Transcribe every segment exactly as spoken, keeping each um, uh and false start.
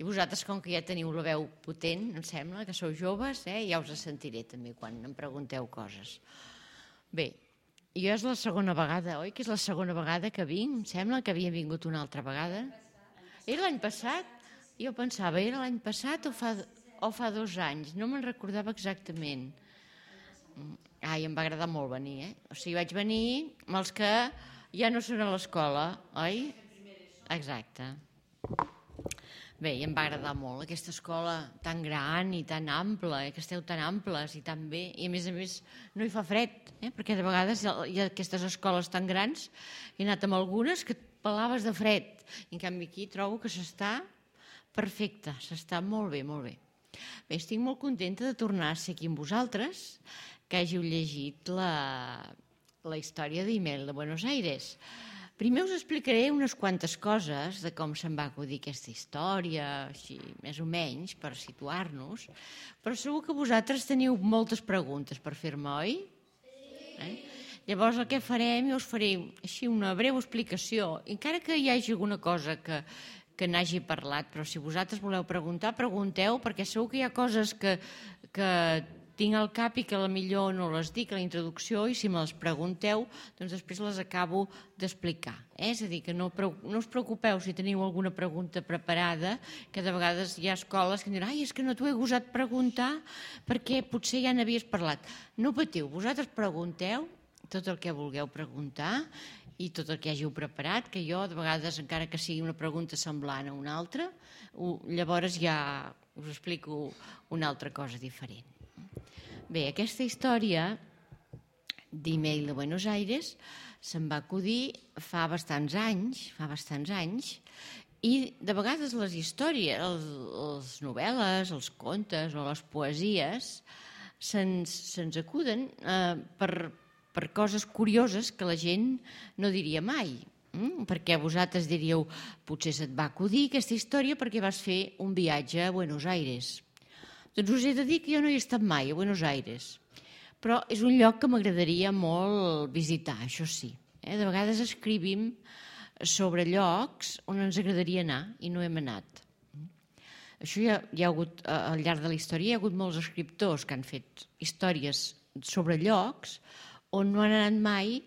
I vosaltres, com que ja teniu la veu potent, em sembla, que sou joves, eh? Ja us sentiré també quan em pregunteu coses. Bé, jo és la segona vegada, oi? Que és la segona vegada que vinc, em sembla que havia vingut una altra vegada. Era l'any passat? Jo pensava, era l'any passat o fa, o fa dos anys? No me'n recordava exactament. Ai, em va agradar molt venir, eh? O sigui, vaig venir amb els que ja no són a l'escola, oi? Exacte. Bé, i em va agradar molt aquesta escola tan gran i tan ampla, eh? Que esteu tan amples i tan bé, i a més a més no hi fa fred, eh? Perquè de vegades hi ha aquestes escoles tan grans, he anat amb algunes que et pelaves de fred, i en canvi aquí trobo que s'està perfecte, s'està molt bé, molt bé. Bé, estic molt contenta de tornar a ser aquí amb vosaltres, que hàgiu llegit la, la història d'Email de Buenos Aires. Primer us explicaré unes quantes coses de com se'n va acudir aquesta història, així, més o menys, per situar-nos, però segur que vosaltres teniu moltes preguntes per fer-me, oi? Sí. Eh? Llavors el que farem, jo us faré així una breu explicació, encara que hi hagi alguna cosa que, que n'hagi parlat, però si vosaltres voleu preguntar, pregunteu, perquè segur que hi ha coses que, que tinc al cap i que potser no les dic a la introducció, i si me les pregunteu, doncs després les acabo d'explicar. Eh? És a dir, que no, no us preocupeu si teniu alguna pregunta preparada, que de vegades hi ha escoles que diuen ai, és que no t'ho he gosat preguntar perquè potser ja n'havies parlat. No patiu, vosaltres pregunteu tot el que vulgueu preguntar i tot el que hàgiu preparat, que jo de vegades, encara que sigui una pregunta semblant a una altra, llavors ja us explico una altra cosa diferent. Bé, aquesta història d'Email de Buenos Aires se'n va acudir fa bastants anys, fa bastants anys, i de vegades les històries, les novel·les, els contes o les poesies se'ns, se'ns acuden eh, per, per coses curioses que la gent no diria mai. Mm? Perquè vosaltres diríeu, potser se't va acudir aquesta història perquè vas fer un viatge a Buenos Aires. Doncs us he de dir que jo no hi he estat mai, a Buenos Aires, però és un lloc que m'agradaria molt visitar, això sí. Eh? De vegades escrivim sobre llocs on ens agradaria anar i no hem anat. Això hi ha, hi ha hagut, al llarg de la història, hi ha hagut molts escriptors que han fet històries sobre llocs on no han anat mai.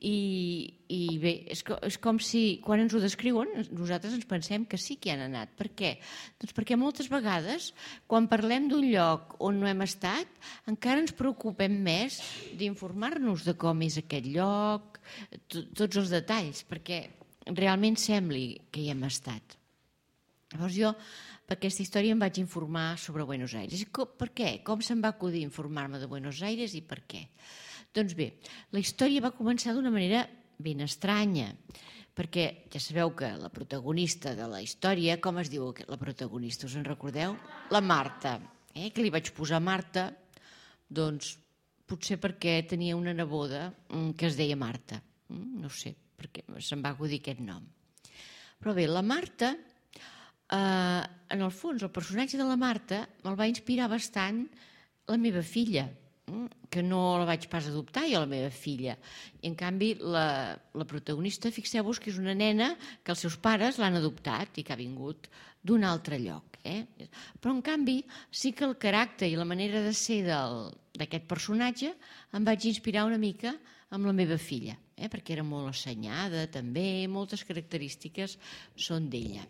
I, i bé, és, és com si quan ens ho descriuen nosaltres ens pensem que sí que hi han anat. Per què? Doncs perquè moltes vegades quan parlem d'un lloc on no hem estat encara ens preocupem més d'informar-nos de com és aquest lloc, tots els detalls, perquè realment sembli que hi hem estat. Llavors jo per aquesta història em vaig informar sobre Buenos Aires. Per què? Com se'm va acudir informar-me de Buenos Aires i per què? Doncs bé, la història va començar d'una manera ben estranya, perquè ja sabeu que la protagonista de la història, com es diu la protagonista, us en recordeu? La Marta. Eh? Que li vaig posar Marta, doncs potser perquè tenia una neboda que es deia Marta. No sé, perquè se'm va acudir aquest nom. Però bé, la Marta, eh, en el fons, el personatge de la Marta me'l va inspirar bastant la meva filla, que no la vaig pas adoptar jo, la meva filla. I en canvi la, la protagonista, fixeu-vos que és una nena que els seus pares l'han adoptat i que ha vingut d'un altre lloc. Eh? Però en canvi sí que el caràcter i la manera de ser d'aquest personatge em vaig inspirar una mica amb la meva filla, eh? Perquè era molt assenyada també, moltes característiques són d'ella.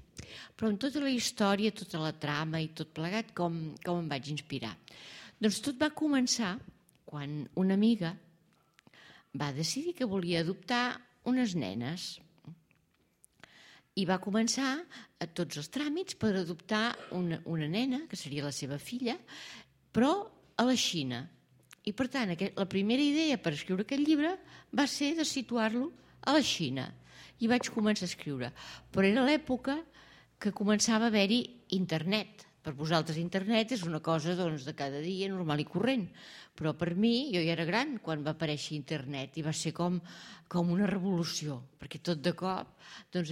Però en tota la història, tota la trama i tot plegat, com, com em vaig inspirar? Doncs tot va començar quan una amiga va decidir que volia adoptar unes nenes i va començar a tots els tràmits per adoptar una, una nena, que seria la seva filla, però a la Xina. I per tant, aquest, la primera idea per escriure aquest llibre va ser de situar-lo a la Xina. I vaig començar a escriure. Però era l'època que començava a haver-hi internet. Per vosaltres internet és una cosa doncs, de cada dia, normal i corrent. Però per mi, jo ja era gran quan va aparèixer internet i va ser com, com una revolució, perquè tot de cop doncs,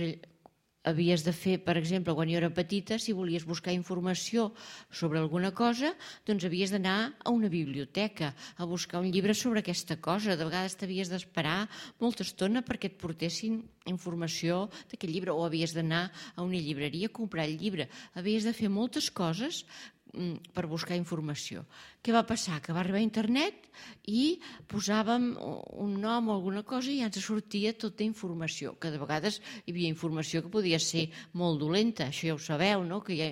havies de fer, per exemple, quan jo era petita, si volies buscar informació sobre alguna cosa, doncs havies d'anar a una biblioteca a buscar un llibre sobre aquesta cosa. De vegades t'havies d'esperar molta estona perquè et portessin informació d'aquest llibre, o havies d'anar a una llibreria a comprar el llibre. Havies de fer moltes coses per buscar informació. Què va passar? Que va arribar a internet i posàvem un nom o alguna cosa i ja ens sortia tota informació, que de vegades hi havia informació que podia ser molt dolenta, això ja ho sabeu, no? Que ja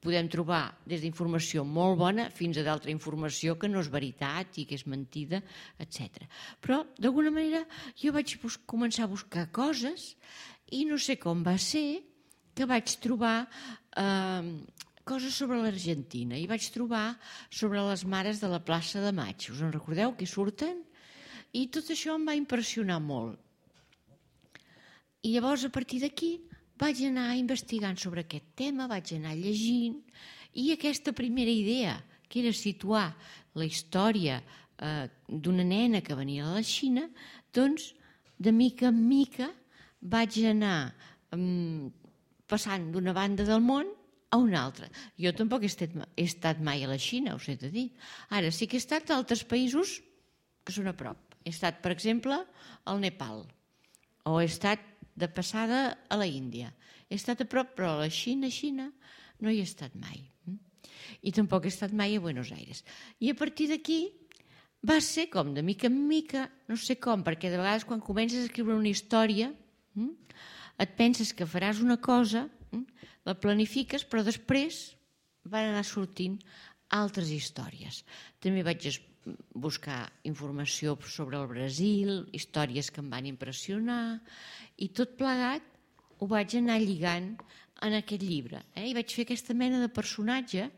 podem trobar des d'informació molt bona fins a d'altra informació que no és veritat i que és mentida, etcètera. Però, d'alguna manera, jo vaig començar a buscar coses i no sé com va ser que vaig trobar eh, coses sobre l'Argentina i vaig trobar sobre les mares de la plaça de Maig. Us en recordeu que surten? I tot això em va impressionar molt. I llavors, a partir d'aquí, vaig anar investigant sobre aquest tema, vaig anar llegint, i aquesta primera idea, que era situar la història eh, d'una nena que venia a la Xina, doncs, de mica en mica, vaig anar eh, passant d'una banda del món a una altra. Jo tampoc he estat, he estat mai a la Xina, us he de dir. Ara sí que he estat a altres països que són a prop. He estat, per exemple, al Nepal, o he estat de passada a la Índia. He estat a prop, però a la Xina, Xina, no hi he estat mai. I tampoc he estat mai a Buenos Aires. I a partir d'aquí va ser com de mica en mica, no sé com, perquè de vegades quan comences a escriure una història et penses que faràs una cosa, la planifiques, però després van anar sortint altres històries. També vaig buscar informació sobre el Brasil, històries que em van impressionar, i tot plegat ho vaig anar lligant en aquest llibre. Eh? I vaig fer aquesta mena de personatge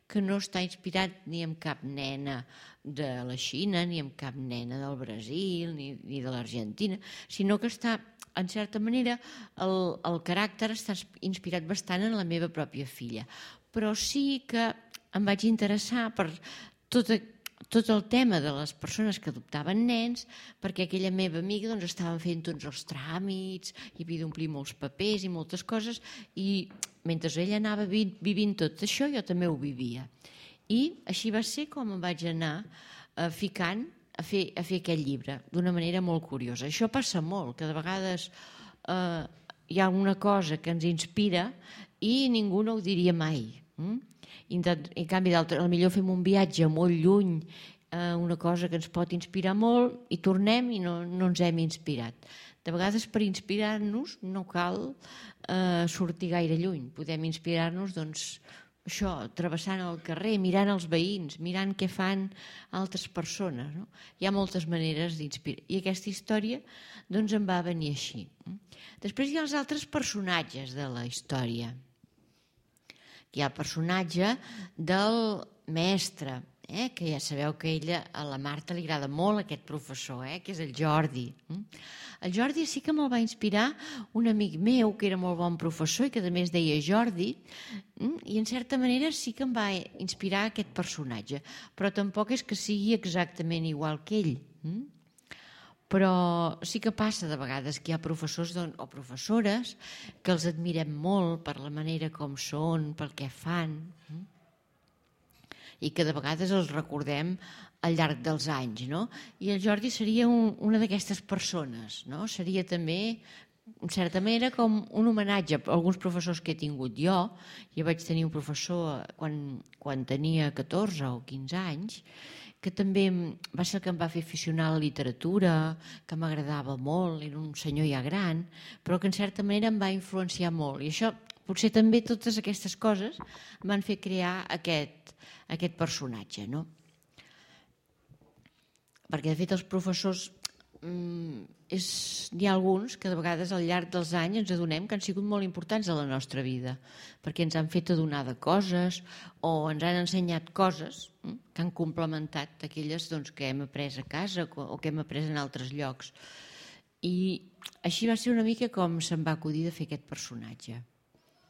que no està inspirat ni en cap nena de la Xina, ni en cap nena del Brasil, ni, ni de l'Argentina, sinó que està, en certa manera, el, el caràcter està inspirat bastant en la meva pròpia filla. Però sí que em vaig interessar per tot, tot el tema de les persones que adoptaven nens, perquè aquella meva amiga doncs, estava fent tots els tràmits, i havia d'omplir molts papers i moltes coses, i mentre ella anava vivint tot això, jo també ho vivia. I així va ser com em vaig anar eh, ficant a fer, a fer aquest llibre, d'una manera molt curiosa. Això passa molt, que de vegades eh, hi ha una cosa que ens inspira i ningú no ho diria mai. Mm? I en canvi, potser fem un viatge molt lluny, eh, una cosa que ens pot inspirar molt, i tornem i no, no ens hem inspirat. De vegades, per inspirar-nos, no cal eh, sortir gaire lluny. Podem inspirar-nos, doncs, això, travessant el carrer, mirant els veïns, mirant què fan altres persones. No? Hi ha moltes maneres d'inspirar. I aquesta història doncs, em va venir així. Després hi ha els altres personatges de la història. Hi ha el personatge del mestre, eh? Que ja sabeu que a ella, a la Marta li agrada molt aquest professor, eh? Que és el Jordi. El Jordi sí que me'l va inspirar un amic meu que era molt bon professor i que també es deia Jordi, i en certa manera sí que em va inspirar aquest personatge, però tampoc és que sigui exactament igual que ell. Però sí que passa de vegades que hi ha professors o professores que els admirem molt per la manera com són, pel que fan, i que de vegades els recordem al llarg dels anys, no? I el Jordi seria un, una d'aquestes persones, no? Seria també, en certa manera, com un homenatge a alguns professors que he tingut jo. Jo vaig tenir un professor quan, quan tenia catorze o quinze anys, que també va ser el que em va fer aficionar a la literatura, que m'agradava molt, era un senyor ja gran, però que en certa manera em va influenciar molt. I això, potser també totes aquestes coses em van fer crear aquest, aquest personatge, no? Perquè, de fet, els professors, mm, és, n'hi ha alguns que de vegades al llarg dels anys ens adonem que han sigut molt importants a la nostra vida, perquè ens han fet adonar de coses o ens han ensenyat coses mm, que han complementat aquelles doncs, que hem après a casa o que hem après en altres llocs. I així va ser una mica com se'm va acudir de fer aquest personatge.